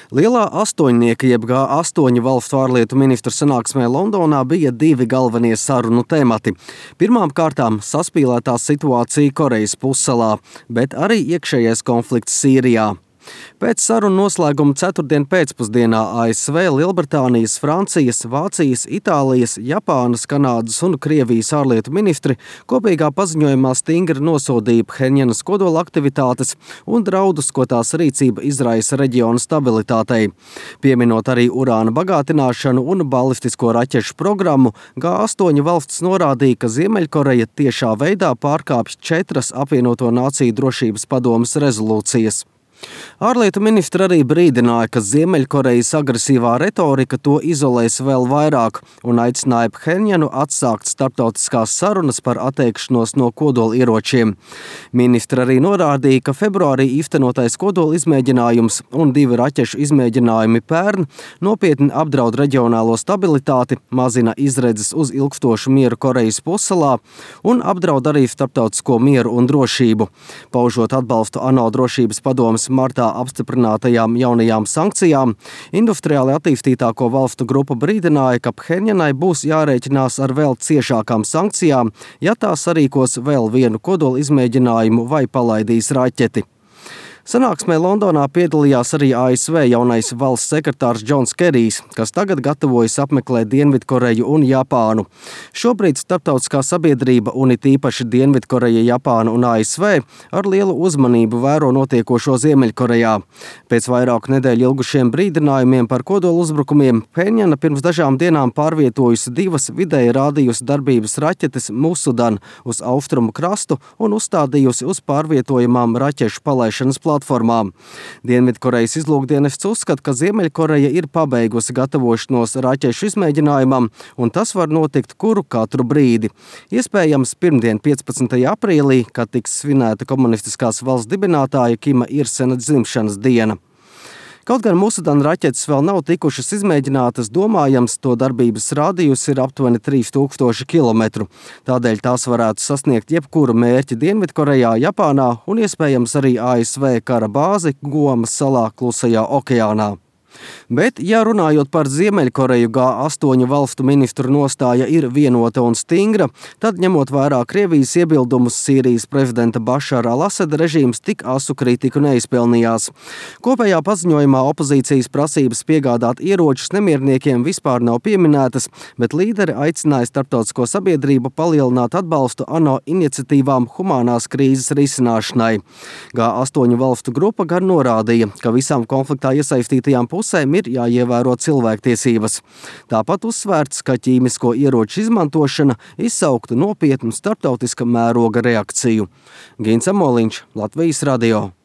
Lielā astoņnieka jeb G8 valstu ārlietu ministru sanāksmē Londonā bija divi galvenie sarunu temati. Pirmām kārtām saspīlētā situācija Korejas pussalā, bet arī iekšējais konflikts Sīrijā. Pēc sarunu noslēguma ceturtdien pēcpusdienā ASV, Lielbritānijas, Francijas, Vācijas, Itālijas, Japānas, Kanādas un Krievijas ārlietu ministri kopīgā paziņojumā stingri nosodīja Phenjanas kodola aktivitātes un draudus, ko tās rīcība izraisa reģiona stabilitātei. Pieminot arī urāna bagātināšanu un balistisko raķešu programmu, G8 valstis norādīja, ka Ziemeļkoreja tiešā veidā pārkāpj 4 apvienoto nāciju drošības padomes rezolūcijas. Ārlietu ministri arī brīdināja, ka Ziemeļkorejas agresīvā retorika to izolēs vēl vairāk un aicināja Phenjanu atsākt starptautiskās sarunas par atteikšanos no kodolieročiem. Ministri arī norādīja, ka februārī īstenotais kodola izmēģinājums un 2 raķešu izmēģinājumi pērn nopietni apdraud reģionālo stabilitāti, mazina izredzes uz ilgstošu mieru Korejas pussalā un apdraud arī starptautisko mieru un drošību. Paužot atbalstu ANO drošības padomes martā apstiprinātajām jaunajām sankcijām, industriāli attīstītāko valstu grupa brīdināja, ka Phenjanai būs jārēķinās ar vēl ciešākām sankcijām, ja tā sarīkos vēl vienu kodola izmēģinājumu vai palaidīs raķeti. Sanāksmē Londonā piedalījās arī ASV jaunais valsts sekretārs Džons Kerijs, kas tagad gatavojas apmeklēt Dienvidkoreju un Japānu. Šobrīd starptautiskā sabiedrība un it īpaši Dienvidkoreja, Japāna un ASV ar lielu uzmanību vēro notiekošo Ziemeļkorejā. Pēc vairāku nedēļu ilgušiem brīdinājumiem par kodolu uzbrukumiem Phenjana pirms dažām dienām pārvietojusi 2 vidēji rādījusi darbības raķetes Musudan uz austrumu krastu un uzstādījusi uz pārvietojamām raķešu palaišanas platformām. Dienvidkorejas izlūkdienests uzskata, ka Ziemeļkoreja ir pabeigusi gatavošanos raķešu izmēģinājumam, un tas var notikt katru brīdi. Iespējams, pirmdien 15. aprīlī, kad tiks svinēta komunistiskās valsts dibinātāja Kima Ir-sena dzimšanas diena. Kaut gan Musudan raķetes vēl nav tikušas izmēģinātas, domājams, to darbības rādījus ir aptuveni 3000 kilometru. Tādēļ tās varētu sasniegt jebkuru mērķi Dienvidkorejā, Japānā un iespējams arī ASV kara bāzi Guamas salā Klusajā okeānā. Bet, ja runājot par Ziemeļkoreju, G8 valstu ministru nostāja ir vienota un stingra, tad ņemot vērā Krievijas iebildumus, Sīrijas prezidenta Bašara al-Asada režīms tik asu kritiku neizpelnījās. Kopējā paziņojumā opozīcijas prasības piegādāt ieročus nemierniekiem vispār nav pieminētas, bet līderi aicināja starptautisko sabiedrību palielināt atbalstu ANO iniciatīvām humanās krīzes risināšanai. G8 valstu grupa gan norādīja, ka visām konfliktā iesaistītajām pusēm ir jāievēro cilvēktiesības. Tāpat uzsvērts, ka ķīmisko ieroču izmantošana izsauktu nopietnu starptautiska mēroga reakciju. Gins Amoliņš, Latvijas radio.